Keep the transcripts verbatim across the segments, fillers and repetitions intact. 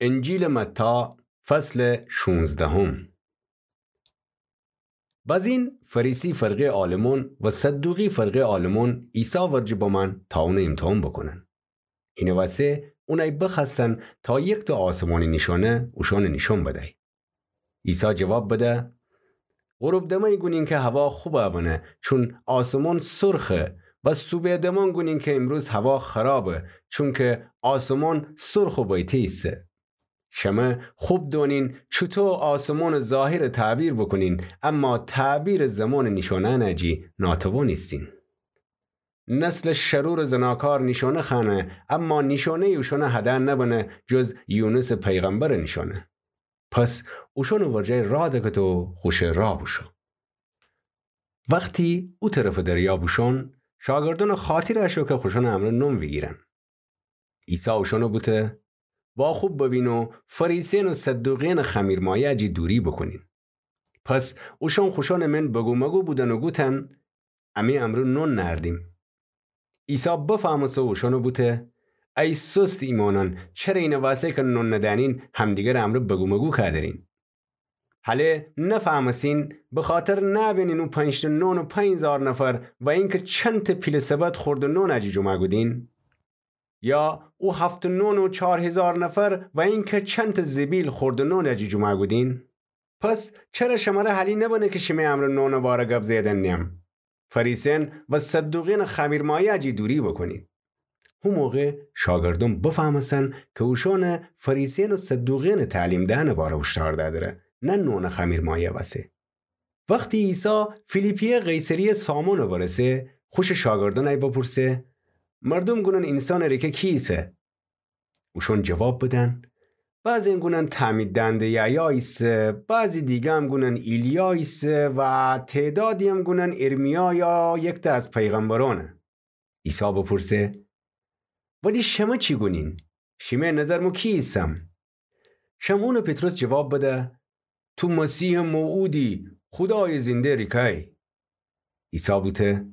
انجیلٚ متی، فصلٚ شونزدهم. بزین فریسی فرقه‌یٚ عالمون و صدوقی فرقه‌یٚ عالمون عیسی ورجه بمأن تا اونٚ ایمتحان بوکونن. هینٚ وسه اونأی بخوأستن تا یکتأ آسمانی نیشأنه اوشأنٚ نیشأن بدأی. عیسی جواب بده: غروب دمأنی گونین که هوا خوبأ بنه، چون آسمون سرخه، و صوبح دمأن گونین که ایمروز هوا خرابه، چونکه آسمون سرخ و بیته ایسه. شمه خوب دونین چوطو آسمونٚ ظاهرٚ تعبیر بوکونین، اما تعبیرٚ زمانٚ نیشأنأنٚ جی ناتوان ایسین. نسلٚ شرورٚ زناکار نیشأنه خوأنه، اما نیشأنه‌یی اوشأنٚ هده نبنه جز یونسٚ پیغمبرٚ نیشأنه. پس اوشأنٚ ورجه راه دکت و خوشٚ راه بوشو. وختی او طرفٚ دریا بوشون، شاگردأنٚ خاطر اشو که خوشأنٚ امرأ نون ویگیرن. عیسی اوشأنٚ بوته: واخوب ببین و فریسیأن و صدوقیأنٚ خمیرمایه‌یٚ جی دوری بوکونین. پس اوشأن خوشأنٚ مین بگومگو بودن و گوتن: امی امرأ نون نأردیم. عیسی بفهمسه و اوشأنٚ بوته: ای سست ایمأنأن، چره اینٚ وسه که نون ندأنین همدیگرٚ امرأ بگومگو کودرین؟ هله نفهمسین بخاطر نأبینین او پنجتأ نون و پنج هیزار نفر و اینکه چندتأ پیلٚ سبد خوردٚ نونٚ جی جمعه کودین؟ یا او هفت‌تأ نون و چار هیزار نفر و اینکه چندتأ زبیل خوردٚ نونٚ جی جمعه کودین؟ پس چره شمره حالی نبنه که شیمی امرأ نونٚ باره گب زئیدن نیم؟ فریسیأن و صدوقیأنٚ خمیرمایه‌یٚ جی دوری بوکونین. هو موقع شاگردأن بفهمستن که اوشأنٚ فریسیأن و صدوقیأنٚ تعلیم دئنٚ باره هوشدار دأدره، نه نونٚ خمیرمایه وسه. وختی عیسی فیلیپی‌یٚ قیصریه‌یٚ سامونٚ برسه، خوشٚ شاگردأنٚ بپرسه: مردوم گونن اینسانٚ ریکه کی ایسه؟ اوشأن جواب بدن: بعضی‌یأن گونن تعمید دهنده یحیی ایسه، بعضی دیگه‌م گونن ایلیا ایسه و تعدادی‌یم گونن ارمیا یا یکتأ از پیغمبرأنه. عیسی بپرسه: ولی شمه چی گونین؟ شیمی نظر مو کی ایسم؟ شمعونٚ پطرس جواب بده: تو مسیحٚ موعودی، خودایٚ زنده ریکه‌یی. عیسی بوته: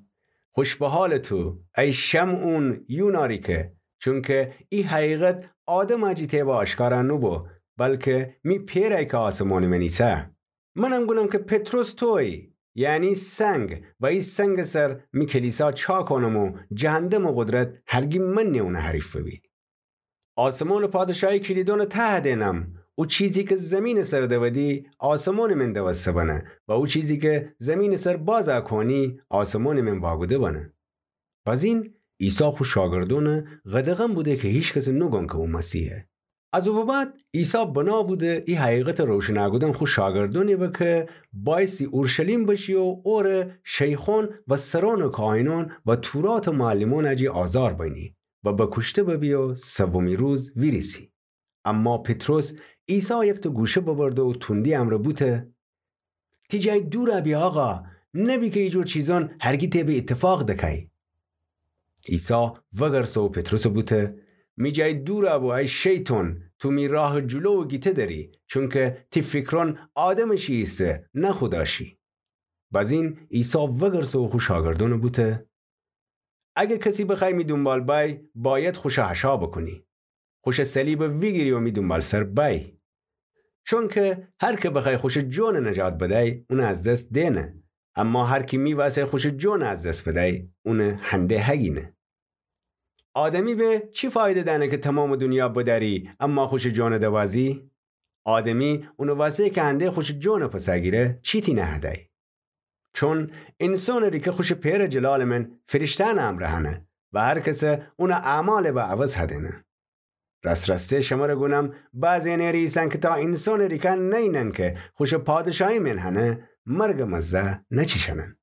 خوش به حالٚ تو، ای شمعون یونا ریکه، چونکه ای حقیقت آدمٚ جی تأیبٚ آشکارا نوبو، بلکه می پئرأیی که آسمانٚ من ایسه. منم گونم که پطرس تویی، یعنی سنگ، و ای سنگٚ سر می کلیسا چا کونم و جهندمٚ قدرت هرگی منی اونٚ حریف ببی. آسمانٚ پادشاهی کلیدأنٚ تأ هدینم. او چیزی که زیمینٚ سر دودی، آسمانٚ من دوسته بنه، و او چیزی که زیمینٚ سر بازا کونی، آسمانٚ من واکوده بنه. بزین عیسی خو شاگردأن قدغن بوده که هیکسٚ نوگن که او مسیحه. از او به بعد عیسی بنا بوده ای حقیقتٚ روشنا کودن خو شاگردأنٚ به که بایستی اورشلیم بشی و اوره شیخأن و سرأنٚ کاهنأن و توراتٚ معلمأنٚ جی آزار بینی و بکوشته ببی و سومی روز ویریسی. اما پطرس عیسی یکتأ گوشه ببرده و توندی امرأ بوته: تی جای دورا بی آقا، نبی که ایجور چیزأن هرگی تأیبٚ ایتفاق دکه‌یی. عیسی وگرسه و پطرسٚ بوته: می جای دورا بو ای شیطان، تو می راهٚ جلو گیته دری، چونکه تی فکرأن آدمٚ شی ایسه، نه خودا شی. بزین عیسی وگرسه و خو شاگردأنٚ بوته: اگه کسی بخوای می دونبال بای، باید خوشه حشا بکونی. خوشٚ صلیبٚ ویگیری و می دونبالسر بای. چونکه هر که بخوای خوشٚ جونٚ نجات بدای، اونٚ از دس دینه. اما هر کی می وأسه خوشٚ جونٚ از دس بدای، اونٚ هنده هگینه. آدمی به چی فایده دأنه که تومامٚ دونیا بدأری، اما خوشٚ جونٚ دوازی؟ آدمی اونٚ وأسه که هنده خوشٚ جونٚ پسه گیره، چیتی نهدای؟ چون اینسانٚ ریکه خوشٚ پئرٚ جلالٚ من فریشته‌یأنٚ امرأ هنه و هر کسه اونٚ اعمالٚ به عوض هدینه. راس‌راسته شمره گونم، بعضی‌یأن ری ایسن که تا اینسانٚ ریکه نینن که خوشٚ پادشاهی من هنه، مرگٚ مزه نچیشنن.